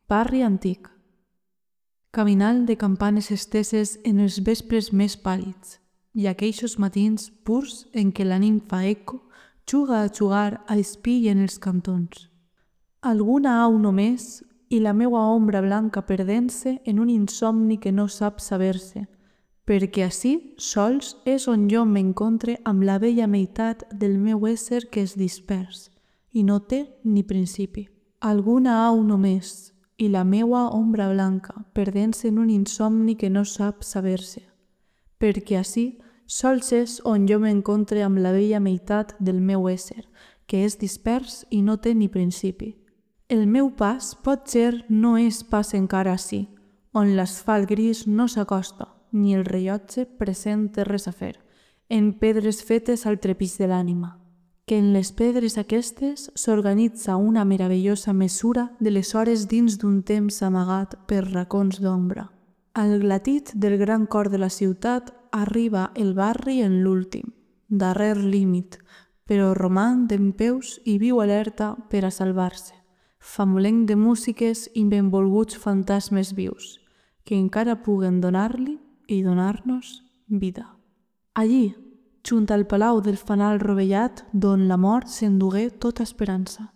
Barri antic. Caminant de campanes esteses en els vespres més pàl·lids i aquells matins purs en què la nimfa eco juga a jugar a espill en els cantons. Alguna au només i la meua ombra blanca perdent-se en un insomni que no sap saber-se, perquè ací sols és on jo m'encontre amb la bella meitat del meu ésser que es dispers i no té ni principi. Alguna au només i la meua ombra blanca perdent-se en un insomni que no sap saber-se, perquè ací sols és on jo m'encontre amb la bella meitat del meu ésser, que és dispers i no té ni principi. El meu pas potser no és pas encara ací, on l'asfalt gris no s'acosta, ni el rellotge present té res a fer, en pedres fetes al trepig de l'ànima, que en les pedres aquestes s'organitza una meravellosa mesura de les hores dins d'un temps amagat per racons d'ombra. Al glatit del gran cor de la ciutat arriba el barri en l'últim, darrer límit, però roman dempeus i viu alerta per a salvar-se, famolenc de músiques i benvolguts fantasmes vius, que encara puguen donar-li i donar-nos vida. Allí, junt al palau del fanal rovellat d'on la mort s'endugué tota esperança.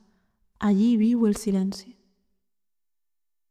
Allí viu el silenci.